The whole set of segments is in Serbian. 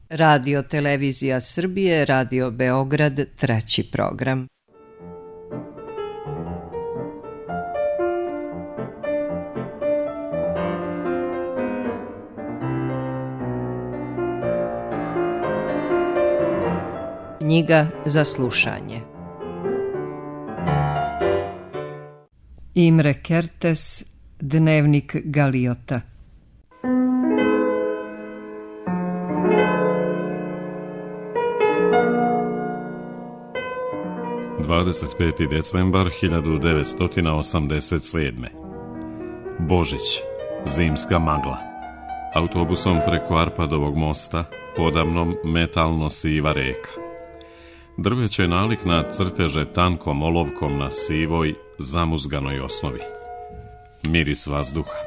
Radio Televizija Srbije, Radio Beograd, 3. program. Knjiga za slušanje. Imre Kertész, Dnevnik Galiota. 25. decembar 1987. Božić, zimska magla. Autobusom preko Arpadovog mosta, podamnom metalno siva reka. Drveće nalik na crteže tankom olovkom na sivoj, zamuzganoj osnovi. Miris vazduha,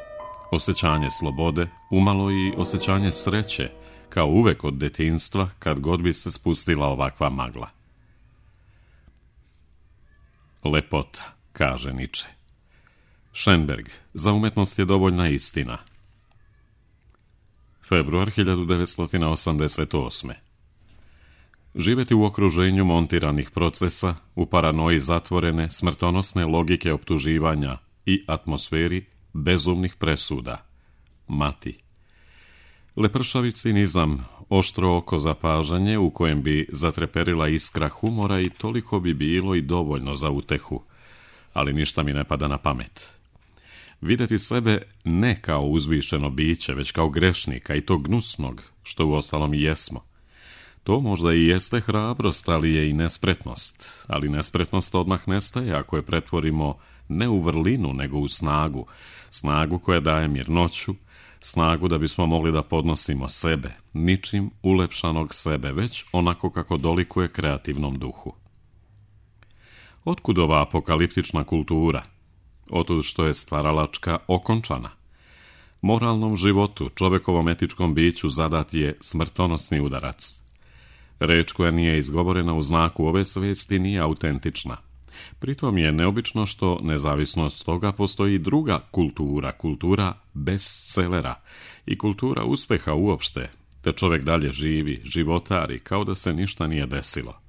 osjećanje slobode, umalo i osjećanje sreće, kao uvek od detinjstva kad god bi se spustila ovakva magla. Lepota, kaže Niče. Šenberg, za umetnost je dovoljna istina. Februar 1988. Živeti u okruženju montiranih procesa, u paranoji zatvorene, smrtonosne logike optuživanja i atmosferi bezumnih presuda. Mati. Lepršavi cinizam, oštro oko zapažanje u kojem bi zatreperila iskra humora i toliko bi bilo i dovoljno za utehu, ali ništa mi ne pada na pamet. Videti sebe ne kao uzvišeno biće, već kao grešnika i to gnusnog, što uostalom i jesmo. To možda i jeste hrabrost, ali je i nespretnost, ali nespretnost odmah nestaje ako je pretvorimo ne u vrlinu, nego u snagu, snagu koja daje mirnoću, snagu da bismo mogli da podnosimo sebe, ničim ulepšanog sebe, već onako kako dolikuje kreativnom duhu. Otkud ova apokaliptična kultura? Otud što je stvaralačka okončana. Moralnom životu, čovekovom etičkom biću zadat je smrtonosni udarac. Reč koja nije izgovorena u znaku ove svesti nije autentična. Pritom je neobično što, nezavisno od toga, postoji druga kultura, kultura bestselera i kultura uspeha uopšte, te čovjek dalje živi, životari, kao da se ništa nije desilo.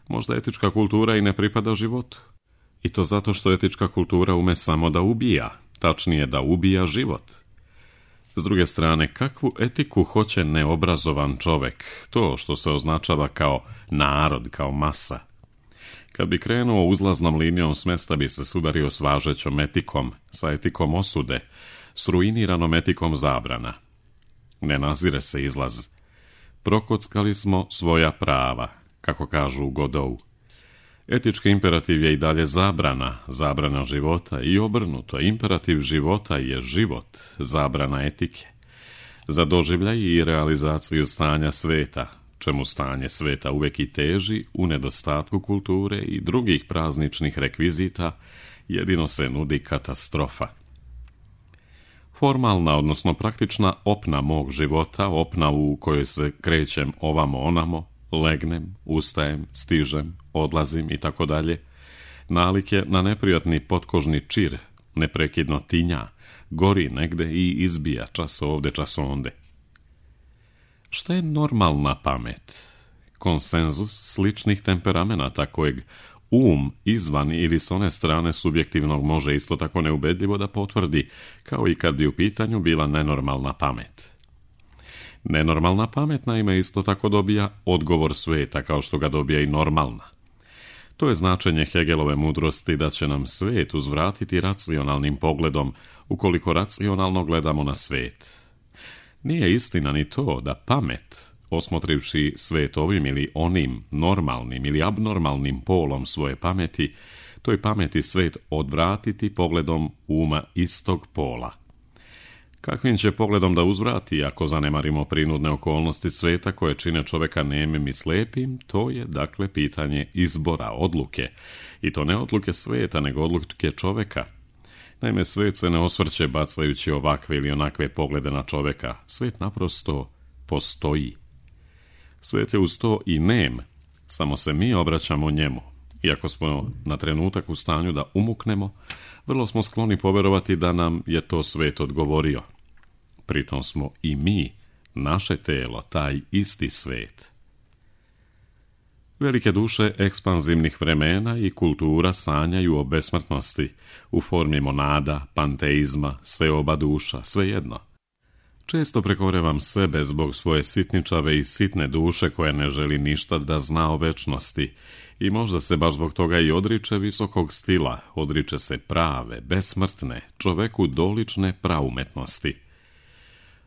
Možda etička kultura i ne pripada životu. I to zato što etička kultura ume samo da ubija, tačnije da ubija život. S druge strane, kakvu etiku hoće neobrazovan čovjek, to što se označava kao narod, kao masa? Kad bi krenuo uzlaznom linijom s mesta bi se sudario s važećom etikom, sa etikom osude, s ruiniranom etikom zabrana. Ne nazire se izlaz. Prokockali smo svoja prava, kako kažu u Godou. Etički imperativ je i dalje zabrana, zabrana života i obrnuto, imperativ života je život, zabrana etike. Za doživljaj i realizaciju stanja sveta, čemu stanje sveta uvek i teži, u nedostatku kulture i drugih prazničnih rekvizita, jedino se nudi katastrofa. Formalna, odnosno praktična opna mog života, opna u kojoj se krećem ovamo onamo, legnem, ustajem, stižem, odlazim i tako dalje, nalik je na neprijatni potkožni čir, neprekidno tinja, gori negde i izbija čas ovde, čas onde. Šta je normalna pamet? Konsenzus sličnih temperamenata kojeg izvan ili s one strane subjektivnog može isto tako neubedljivo da potvrdi, kao i kad bi u pitanju bila nenormalna pamet. Nenormalna pamet naime isto tako dobija odgovor sveta kao što ga dobija i normalna. To je značenje Hegelove mudrosti da će nam svet uzvratiti racionalnim pogledom ukoliko racionalno gledamo na svet. Nije istina ni to da pamet, osmotrivši svet ovim ili onim normalnim ili abnormalnim polom svoje pameti, toj pameti svet odvratiti pogledom uma istog pola. Kakvim će pogledom da uzvrati ako zanemarimo prinudne okolnosti sveta koje čine čoveka nemim i slepim, to je dakle pitanje izbora, odluke. I to ne odluke sveta, nego odluke čoveka. Naime, svet se ne osvrće bacajući ovakve ili onakve poglede na čoveka. Svet naprosto postoji. Svet je uz to i nem, samo se mi obraćamo njemu. Iako smo na trenutak u stanju da umuknemo, vrlo smo skloni poverovati da nam je to svet odgovorio. Pritom smo i mi naše telo, taj isti svet. Velike duše ekspanzivnih vremena i kultura sanjaju o besmrtnosti u formi monada, panteizma, seoba duša, svejedno. Često prekorevam sebe zbog svoje sitničave i sitne duše koja ne želi ništa da zna o večnosti i možda se baš zbog toga i odriče visokog stila, odriče se prave, besmrtne, čoveku dolične praumetnosti.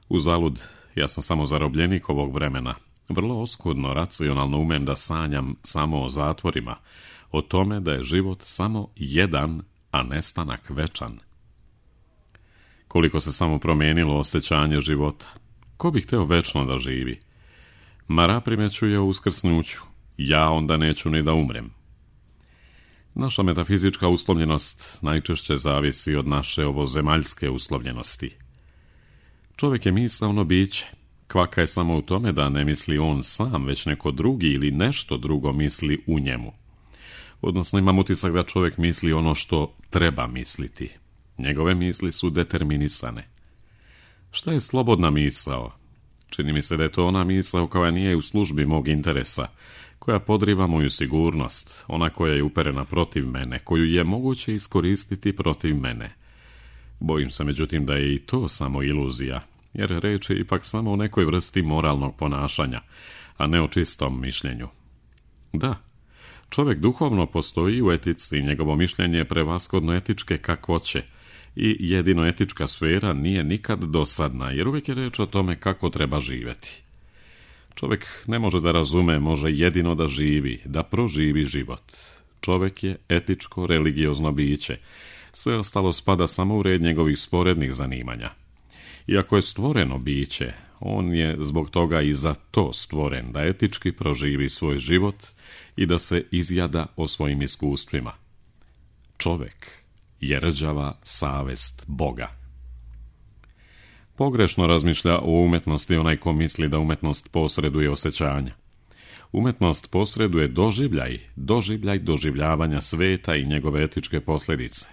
Uzalud, ja sam samo zarobljenik ovog vremena. Vrlo oskudno, racionalno umem da sanjam samo o zatvorima, o tome da je život samo jedan, a nestanak večan. Koliko se samo promijenilo osjećanje života. Ko bi hteo večno da živi? Mara primećuje o uskrsnuću. Ja onda neću ni da umrem. Naša metafizička uslovljenost najčešće zavisi od naše ovozemaljske uslovljenosti. Čovjek je misaono biće. Kvaka je samo u tome da ne misli on sam, već neko drugi ili nešto drugo misli u njemu. Odnosno imam utisak da čovjek misli ono što treba misliti. Njegove misli su determinisane. Šta je slobodna misao? Čini mi se da je to ona misao koja nije u službi mog interesa, koja podriva moju sigurnost, ona koja je uperena protiv mene, koju je moguće iskoristiti protiv mene. Bojim se međutim da je i to samo iluzija, jer reč je ipak samo o nekoj vrsti moralnog ponašanja, a ne o čistom mišljenju. Da, čovjek duhovno postoji u etici i njegovo mišljenje je prevashodno etičke kakvoće i jedino etička sfera nije nikad dosadna, jer uvijek je reč o tome kako treba živjeti. Čovjek ne može da razume, može jedino da živi, da proživi život. Čovjek je etičko, religiozno biće. Sve ostalo spada samo u red njegovih sporednih zanimanja. Iako je stvoreno biće, on je zbog toga i za to stvoren, da etički proživi svoj život i da se izjada o svojim iskustvima. Čovjek je rđava savest Boga. Pogrešno razmišlja o umetnosti onaj ko misli da umetnost posreduje osjećanja. Umetnost posreduje doživljaj doživljavanja sveta i njegove etičke posljedice.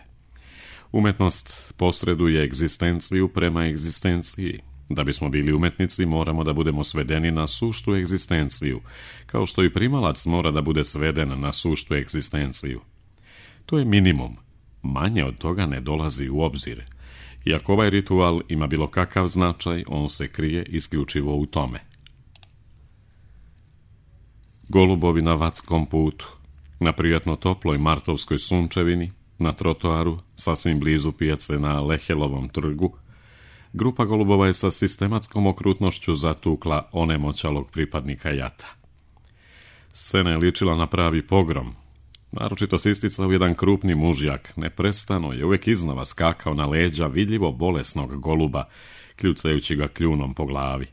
Umetnost posreduje egzistenciju prema egzistenciji. Da bismo bili umetnici moramo da budemo svedeni na suštu egzistenciju, kao što i primalac mora da bude sveden na suštu egzistenciju. To je minimum. Manje od toga ne dolazi u obzir. Iako ovaj ritual ima bilo kakav značaj, on se krije isključivo u tome. Golubovi na Vatskom putu, na prijatno toploj martovskoj sunčevini, na trotoaru, sasvim blizu pijace na Lehelovom trgu, grupa golubova je sa sistematskom okrutnošću zatukla onemoćalog pripadnika jata. Scena je ličila na pravi pogrom. Naročito se isticao jedan krupni mužjak, neprestano je uvijek iznova skakao na leđa vidljivo bolesnog goluba, kljucajući ga kljunom po glavi.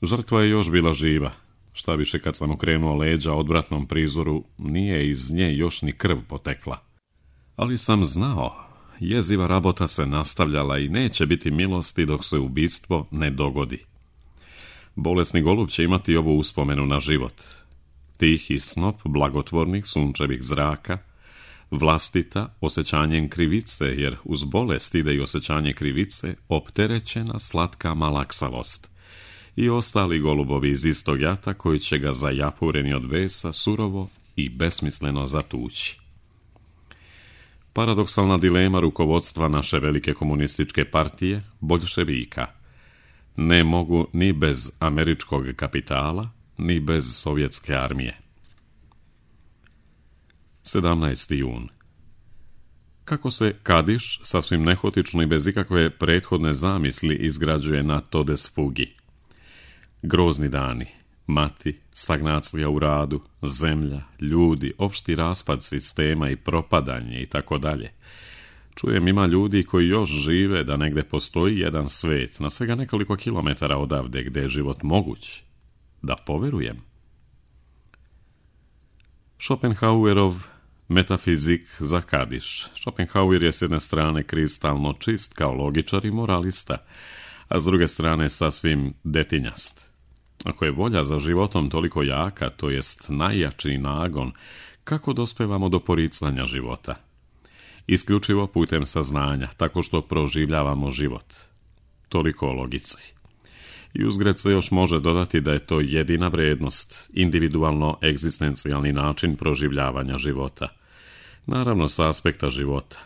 Žrtva je još bila živa. Šta više, kad sam okrenuo leđa odvratnom prizoru, nije iz nje još ni krv potekla. Ali sam znao, jeziva rabota se nastavljala i neće biti milosti dok se ubistvo ne dogodi. Bolesni golub će imati ovu uspomenu na život. Tihi snop blagotvornih sunčevih zraka, vlastita osjećanjem krivice, jer uz bolest ide i osjećanje krivice, opterećena slatka malaksalost. I ostali golubovi iz istog jata koji će ga zajapureni od vesa surovo i besmisleno zatući. Paradoksalna dilema rukovodstva naše velike komunističke partije, boljševika. Ne mogu ni bez američkog kapitala, ni bez sovjetske armije. 17. jun. Kako se Kadiš, sasvim nehotično i bez ikakve prethodne zamisli, izgrađuje na Todesfugi. Grozni dani, mati, stagnacija u radu, zemlja, ljudi, opšti raspad sistema i propadanje i tako dalje. Čujem, ima ljudi koji još žive da negde postoji jedan svet, na svega nekoliko kilometara odavde gde je život moguć. Da poverujem. Schopenhauerov metafizik za Kadiš. Schopenhauer je s jedne strane kristalno čist kao logičar i moralista, a s druge strane sasvim detinjast. Ako je volja za životom toliko jaka, to jest najjači nagon, kako dospevamo do poricanja života? Isključivo putem saznanja, tako što proživljavamo život. Toliko o logici. I uzgred se još može dodati da je to jedina vrijednost, individualno egzistencijalni način proživljavanja života. Naravno, sa aspekta života.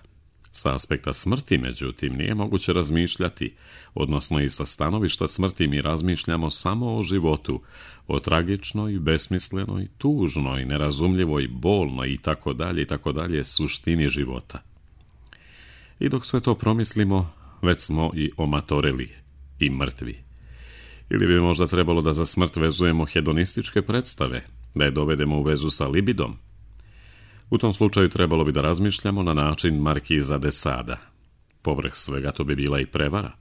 Sa aspekta smrti, međutim, nije moguće razmišljati, odnosno i sa stanovišta smrti mi razmišljamo samo o životu, o tragičnoj, besmislenoj, tužnoj, nerazumljivoj, bolnoj i tako dalje suštini života. I dok sve to promislimo, već smo i omatoreli i mrtvi. Ili bi možda trebalo da za smrt vezujemo hedonističke predstave, da je dovedemo u vezu sa libidom. U tom slučaju trebalo bi da razmišljamo na način Markiza de Sada. Povrh svega to bi bila i prevara,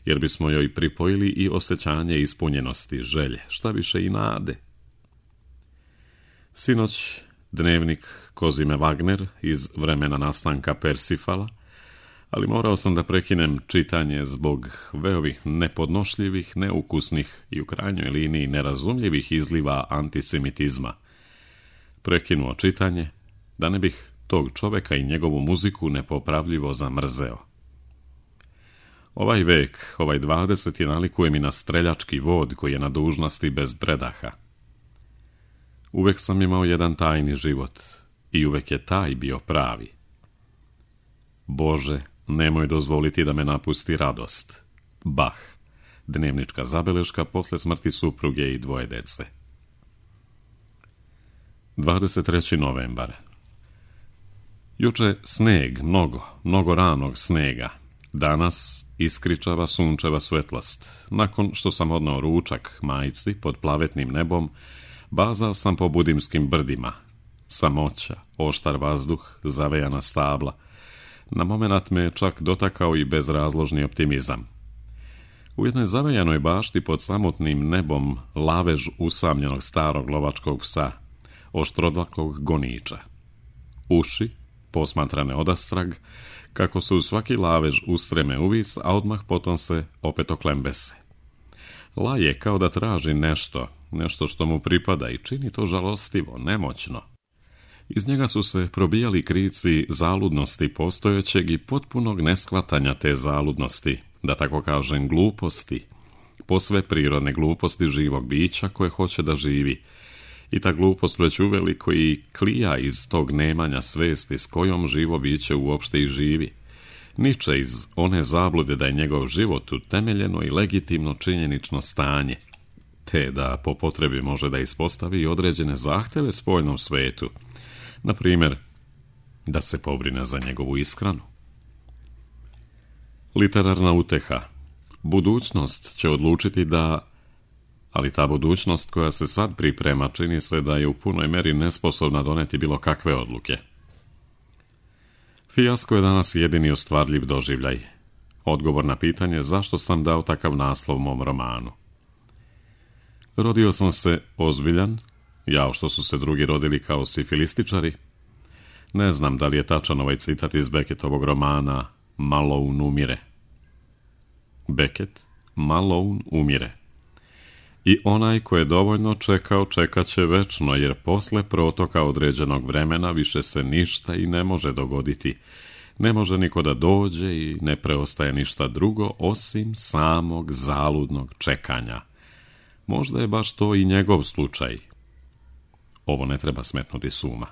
jer bismo joj pripojili i osjećanje ispunjenosti, želje, šta više i nade. Sinoć dnevnik Kozime Wagner iz vremena nastanka Persifala, ali morao sam da prekinem čitanje zbog veovih nepodnošljivih, neukusnih i u krajnjoj liniji nerazumljivih izliva antisemitizma. Prekinuo čitanje, da ne bih tog čoveka i njegovu muziku nepopravljivo zamrzeo. Ovaj vek, ovaj 20. nalikuje mi na streljački vod koji je na dužnosti bez predaha. Uvek sam imao jedan tajni život i uvek je taj bio pravi. Bože, nemoj dozvoliti da me napusti radost. Bach, dnevnička zabeleška posle smrti supruge i 2 dece. 23. novembar. Juče sneg, mnogo ranog snega. Danas iskričava sunčeva svetlost. Nakon što sam odneo ručak majci pod plavetnim nebom, bazao sam po budimskim brdima. Samoća, oštar vazduh, zavejana stabla. Na momenat me je čak dotakao i bezrazložni optimizam. U jednoj zavejanoj bašti pod samotnim nebom lavež usamljenog starog lovačkog psa, oštrodlakog goniča. Uši, posmatrane odastrag, kako se u svaki lavež ustreme uvis, a odmah potom se opet oklembese. Laje kao da traži nešto što mu pripada i čini to žalostivo, nemoćno. Iz njega su se probijali krici zaludnosti postojećeg i potpunog neshvatanja te zaludnosti, da tako kažem gluposti, posve prirodne gluposti živog bića koje hoće da živi. I ta glupost već uveliko i klija iz tog nemanja svesti s kojom živo biće uopšte i živi. Niče iz one zablude da je njegov život utemeljeno i legitimno činjenično stanje, te da po potrebi može da ispostavi i određene zahteve spoljnom svetu, na primjer, da se pobrine za njegovu ishranu. Literarna uteha. Budućnost će odlučiti da, ali ta budućnost koja se sad priprema čini se da je u punoj meri nesposobna doneti bilo kakve odluke. Fijasko je danas jedini ostvarljiv doživljaj. Odgovor na pitanje zašto sam dao takav naslov mom romanu. Rodio sam se ozbiljan, jao što su se drugi rodili kao sifilističari. Ne znam da li je tačan ovaj citat iz Beckettovog romana Malone umire. Beckett, Malone umire. I onaj ko je dovoljno čekao, čekat će večno, jer posle protoka određenog vremena više se ništa i ne može dogoditi. Ne može niko da dođe i ne preostaje ništa drugo osim samog zaludnog čekanja. Možda je baš to i njegov slučaj. Ovo ne treba smetnuti s uma.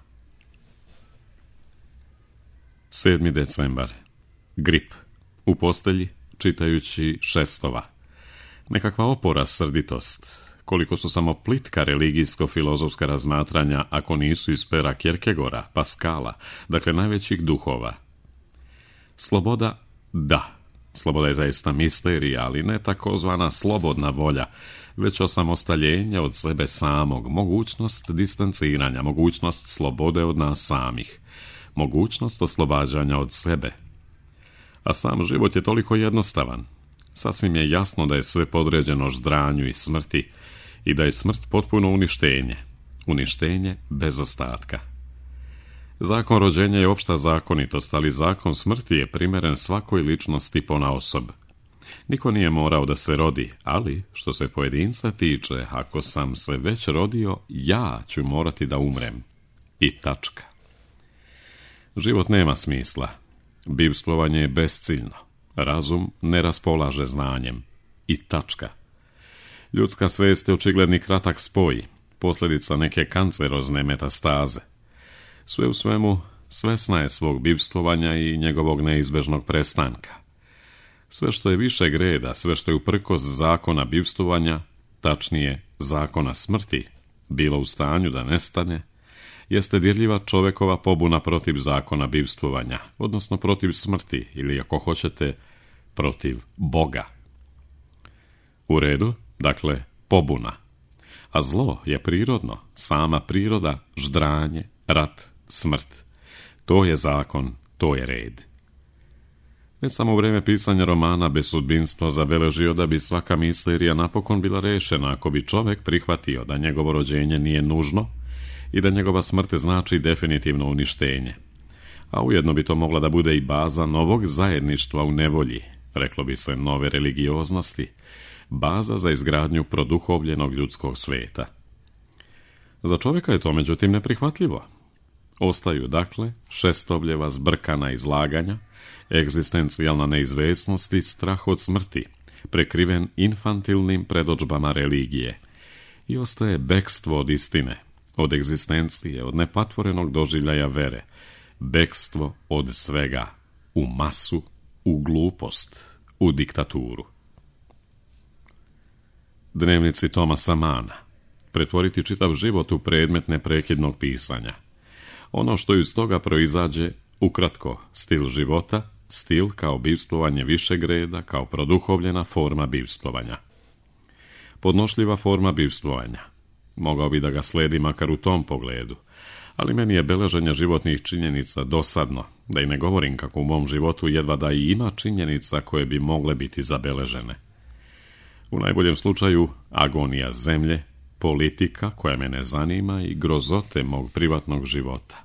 7. decembar. Grip. U postelji, čitajući Šestova. Nekakva opora srditost. Koliko su samo plitka religijsko-filozofska razmatranja, ako nisu iz pera Kierkegaarda, Pascala, dakle najvećih duhova. Sloboda, da. Sloboda je zaista misterija, ali ne takozvana slobodna volja, već osamostaljenje od sebe samog, mogućnost distanciranja, mogućnost slobode od nas samih, mogućnost oslobađanja od sebe. A sam život je toliko jednostavan. Sasvim je jasno da je sve podređeno ždranju i smrti i da je smrt potpuno uništenje bez ostatka. Zakon rođenja je opšta zakonitost, ali zakon smrti je primeren svakoj ličnosti ponaosob. Niko nije morao da se rodi, ali što se pojedinca tiče, ako sam se već rodio, ja ću morati da umrem. I tačka. Život nema smisla. Bivstvovanje je besciljno. Razum ne raspolaže znanjem. I tačka. Ljudska svijest je očigledni kratak spoj, posljedica neke kancerozne metastaze. Sve u svemu, svesna je svog bivstvovanja i njegovog neizbežnog prestanka. Sve što je višeg reda, sve što je uprkos zakona bivstvovanja, tačnije zakona smrti, bilo u stanju da nestane, jeste dirljiva čovekova pobuna protiv zakona bivstvovanja, odnosno protiv smrti, ili ako hoćete, protiv Boga. U redu, dakle, pobuna. A zlo je prirodno, sama priroda, ždranje, rat, smrt. To je zakon, to je red. Već samo u vrijeme pisanja romana Bez sudbinstva zabeležio da bi svaka misterija napokon bila rešena ako bi čovjek prihvatio da njegovo rođenje nije nužno i da njegova smrt znači definitivno uništenje. A ujedno bi to mogla da bude i baza novog zajedništva u nevolji, reklo bi se nove religioznosti, baza za izgradnju produhovljenog ljudskog sveta. Za čovjeka je to međutim neprihvatljivo. Ostaju, dakle, šestovljeva zbrkana izlaganja, egzistencijalna neizvesnost i strah od smrti, prekriven infantilnim predodžbama religije. I ostaje bekstvo od istine, od egzistencije, od nepatvorenog doživljaja vere, bekstvo od svega, u masu, u glupost, u diktaturu. Dnevnici Thomasa Mana. Pretvoriti čitav život u predmet neprekidnog pisanja. Ono što iz toga proizađe, ukratko, stil života, stil kao bivstvovanje višeg reda, kao produhovljena forma bivstvovanja. Podnošljiva forma bivstvovanja. Mogao bi da ga sledi makar u tom pogledu, ali meni je beleženje životnih činjenica dosadno, da i ne govorim kako u mom životu jedva da i ima činjenica koje bi mogle biti zabeležene. U najboljem slučaju agonija zemlje, politika koja me ne zanima i grozote mog privatnog života.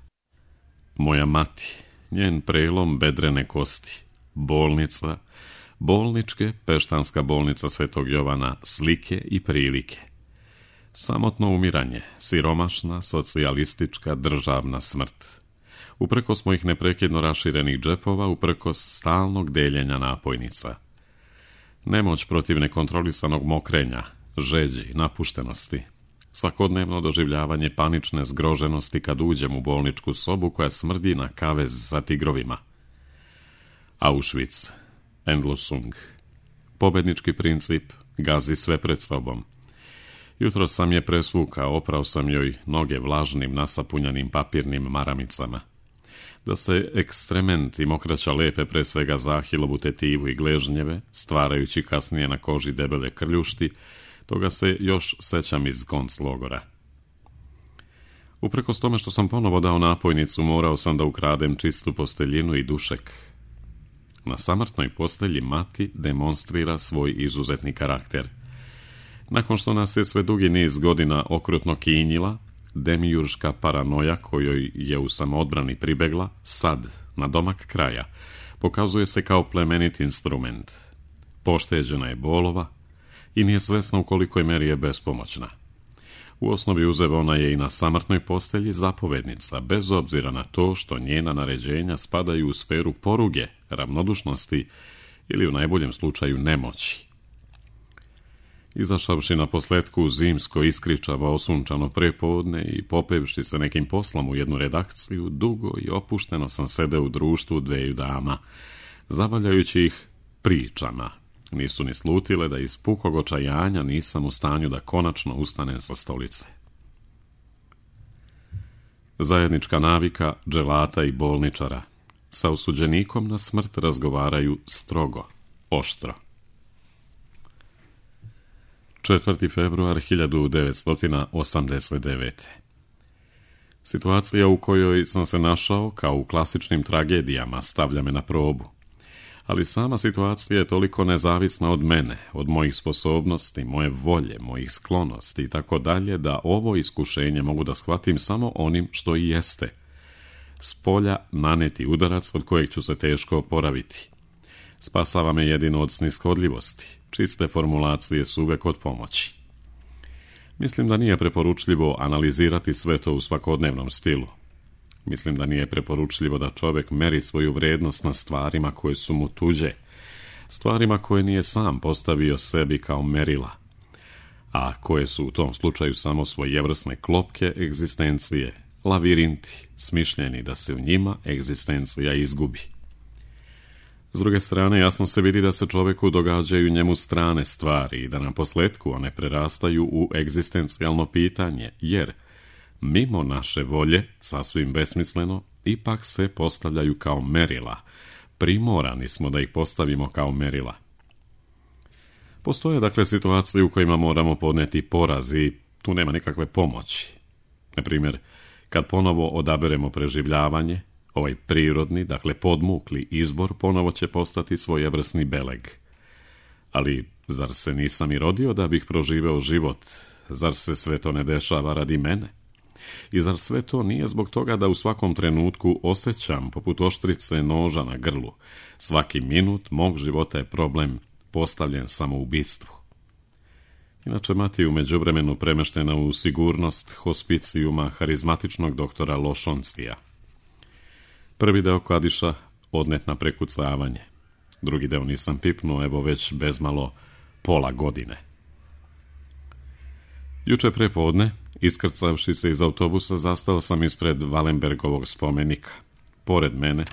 Moja mati, njen prelom bedrene kosti, bolnica, bolničke, Peštanska bolnica Svetog Jovana, slike i prilike. Samotno umiranje, siromašna, socijalistička, državna smrt. Uprkos mojih neprekidno raširenih džepova, uprkos stalnog deljenja napojnica. Nemoć protiv nekontrolisanog mokrenja, žeđi, napuštenosti. Svakodnevno doživljavanje panične zgroženosti kad uđem u bolničku sobu koja smrdi na kavez sa tigrovima. Auschwitz, Endlösung. Pobednički princip, gazi sve pred sobom. Jutro sam je presvukao, oprao sam joj noge vlažnim, nasapunjanim papirnim maramicama. Da se ekstrement i mokraća lepe pre svega za ahilovu tetivu i gležnjeve, stvarajući kasnije na koži debele krljušti, toga se još sećam iz konclogora. Uprkos tome što sam ponovo dao napojnicu, morao sam da ukradem čistu posteljinu i dušek. Na samrtnoj postelji mati demonstrira svoj izuzetni karakter. Nakon što nas je sve dugi niz godina okrutno kinjila, demiurška paranoja kojoj je u samoodbrani pribegla, sad, na domak kraja, pokazuje se kao plemenit instrument. Pošteđena je bolova i nije svesna u kolikoj meri je bespomoćna. U osnovi uzevona je i na samrtnoj postelji zapovednica, bez obzira na to što njena naređenja spadaju u sferu poruge, ravnodušnosti ili u najboljem slučaju nemoći. Izašavši na posletku u zimsko iskričavo osunčano prepodne i popevši se nekim poslom u jednu redakciju, dugo i opušteno sam sedeo u društvu dveju dama, zabavljajući ih pričama. Nisu ni slutile da iz pukog očajanja nisam u stanju da konačno ustanem sa stolice. Zajednička navika dželata i bolničara. Sa osuđenikom na smrt razgovaraju strogo, oštro. 4. februar 1989. Situacija u kojoj sam se našao, kao u klasičnim tragedijama, stavlja me na probu. Ali sama situacija je toliko nezavisna od mene, od mojih sposobnosti, moje volje, mojih sklonosti i tako dalje, da ovo iskušenje mogu da shvatim samo onim što i jeste. S polja naneti udarac od kojeg ću se teško oporaviti. Spasava me jedino od sniskodljivosti. Čiste formulacije su uvek od pomoći. Mislim da nije preporučljivo analizirati sve to u svakodnevnom stilu. Mislim da nije preporučljivo da čovjek meri svoju vrednost na stvarima koje su mu tuđe, stvarima koje nije sam postavio sebi kao merila. a koje su u tom slučaju samo svojevrsne klopke egzistencije, lavirinti, smišljeni da se u njima egzistencija izgubi. S druge strane, jasno se vidi da se čovjeku događaju njemu strane stvari i da na posljetku one prerastaju u egzistencijalno pitanje, jer mimo naše volje, sasvim besmisleno, ipak se postavljaju kao merila. Primorani smo da ih postavimo kao merila. Postoje dakle situacije u kojima moramo podnijeti poraz i tu nema nikakve pomoći. Na primjer, kad ponovo odaberemo preživljavanje, ovaj prirodni, dakle podmukli izbor ponovo će postati svojevrsni beleg. Ali zar se nisam i rodio da bih proživeo život? Zar se sve to ne dešava radi mene? I zar sve to nije zbog toga da u svakom trenutku osjećam, poput oštrice noža na grlu, svaki minut mog života je problem postavljen samoubistvu? Inače, mati je u međuvremenu premeštena u sigurnost hospicijuma harizmatičnog doktora Lošoncija. Prvi deo Kadiša odnet na prekucavanje. Drugi deo nisam pipnuo, evo već bezmalo pola godine. Juče prepodne, iskrcavši se iz autobusa, zastao sam ispred Wallenbergovog spomenika. Pored mene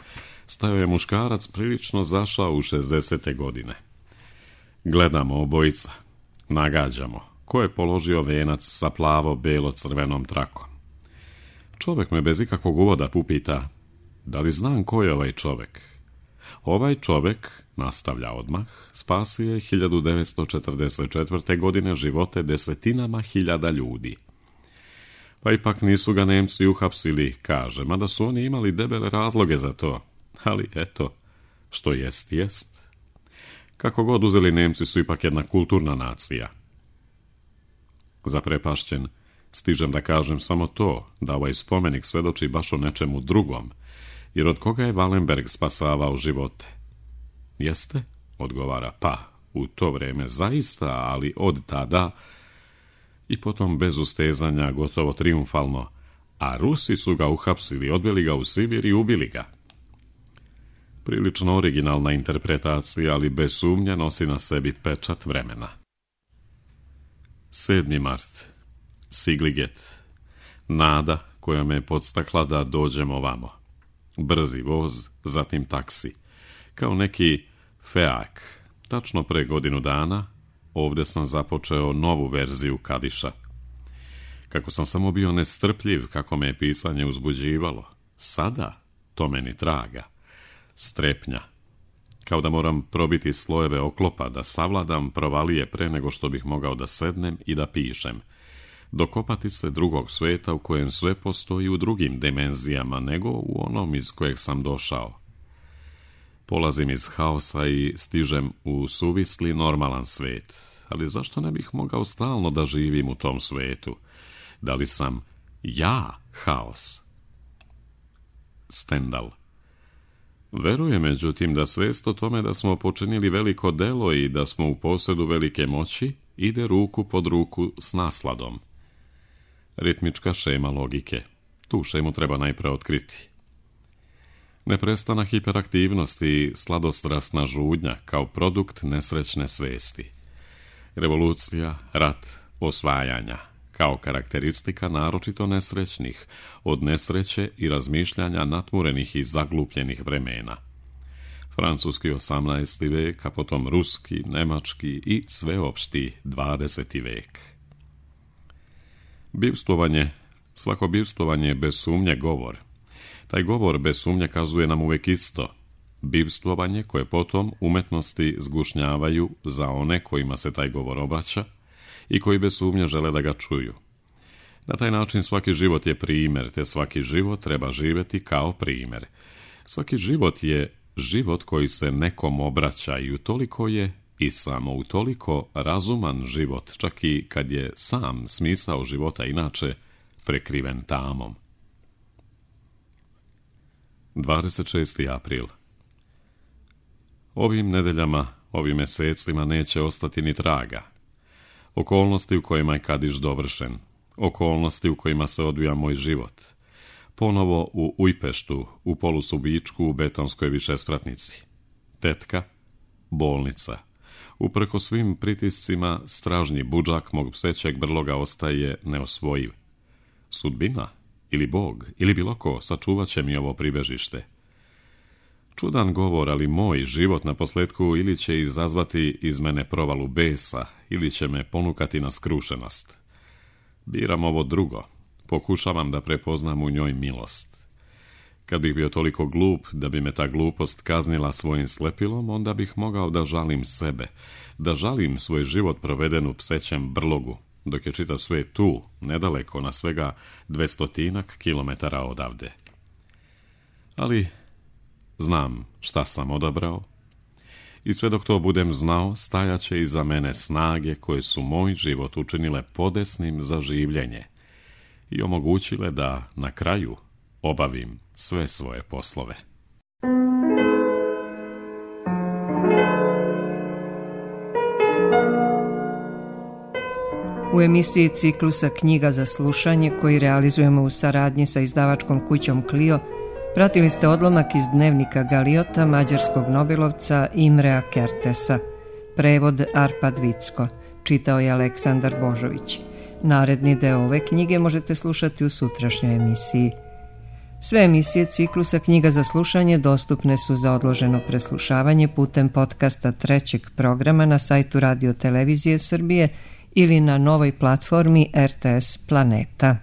stajao je muškarac prilično zašao u 60. godine. Gledamo obojica, nagađamo, ko je položio venac sa plavo-belo-crvenom trakom. Čovjek me bez ikakvog uvoda upita, da li znam ko je ovaj čovjek? Ovaj čovjek, nastavlja odmah, spasio je 1944. godine živote desetinama hiljada ljudi. Pa ipak nisu ga Nemci uhapsili, kaže, mada su oni imali debele razloge za to. Ali eto, što jest, jest. Kako god uzeli, Nemci su ipak jedna kulturna nacija. Zaprepašćen, stižem da kažem samo to, da ovaj spomenik svedoči baš o nečemu drugom, jer od koga je Wallenberg spasavao živote? Jeste? Odgovara, pa, u to vrijeme zaista, ali od tada, i potom bez ustezanja, gotovo triumfalno, a Rusi su ga uhapsili, odveli ga u Sibir i ubili ga. Prilično originalna interpretacija, ali bez sumnje nosi na sebi pečat vremena. 7. mart. Sigliget. Nada koja me je podstakla da dođem ovamo. Brzi voz, zatim taksi. Kao neki feak. Tačno pre godinu dana ovdje sam započeo novu verziju Kadiša. Kako sam samo bio nestrpljiv, kako me je pisanje uzbuđivalo. Sada to meni traga. Strepnja. Kao da moram probiti slojeve oklopa, da savladam provalije pre nego što bih mogao da sednem i da pišem. Dokopati se drugog sveta u kojem sve postoji u drugim dimenzijama nego u onom iz kojeg sam došao. Polazim iz haosa i stižem u suvisli normalan svet. Ali zašto ne bih mogao stalno da živim u tom svetu? Da li sam ja haos? Stendhal. Verujem, međutim, da svest o tome da smo počinili veliko delo i da smo u posjedu velike moći ide ruku pod ruku s nasladom. Ritmička šema logike. Tu šemu treba najpre otkriti. Neprestana hiperaktivnost i sladostrasna žudnja kao produkt nesrećne svesti. Revolucija, rat, osvajanja, kao karakteristika naročito nesrećnih, od nesreće i razmišljanja natmurenih i zaglupljenih vremena. Francuski 18. vek, a potom ruski, nemački i sveopšti 20. vek. Bivstvovanje, svako bivstvovanje je bez sumnje govor. Taj govor bez sumnje kazuje nam uvijek isto. Bivstvovanje koje potom umetnosti zgušnjavaju za one kojima se taj govor obraća i koji bez sumnje žele da ga čuju. Na taj način svaki život je primjer, te svaki život treba živjeti kao primjer. Svaki život je život koji se nekom obraća i utoliko je i samo utoliko razuman život, čak i kad je sam smisao života inače prekriven tamom. 26. april. Ovim nedeljama, ovim mjesecima neće ostati ni traga. Okolnosti u kojima je Kadiš dovršen, okolnosti u kojima se odvija moj život. Ponovo u Ujpeštu, u polusubičku u betonskoj višespratnici. Tetka, bolnica. Uprko svim pritiscima, stražnji budžak mog psećeg brloga ostaje neosvojiv. Sudbina, ili Bog, ili bilo ko, sačuvat će mi ovo pribežište. Čudan govor, ali moj život na posljetku ili će izazvati iz mene provalu besa, ili će me ponukati na skrušenost. Biram ovo drugo, pokušavam da prepoznam u njoj milost. Kad bih bio toliko glup da bi me ta glupost kaznila svojim slepilom, onda bih mogao da žalim sebe, da žalim svoj život proveden u psećem brlogu, dok je čitav svijet tu, nedaleko, na svega 200 kilometara odavde. Ali znam šta sam odabrao i sve dok to budem znao, stajaće iza mene snage koje su moj život učinile podesnim za življenje i omogućile da na kraju obavim sve svoje poslove. U emisiji ciklusa Knjiga za slušanje, koji realizujemo u saradnji sa izdavačkom kućom Clio, pratili ste odlomak iz dnevnika Galiota mađarskog nobelovca Imrea Kertesa. Prevod Arpad Vicko. Čitao je Aleksandar Božović. Naredni deo ove knjige možete slušati u sutrašnjoj emisiji. Sve emisije ciklusa Knjiga za slušanje dostupne su za odloženo preslušavanje putem podcasta trećeg programa na sajtu Radio Televizije Srbije ili na novoj platformi RTS Planeta.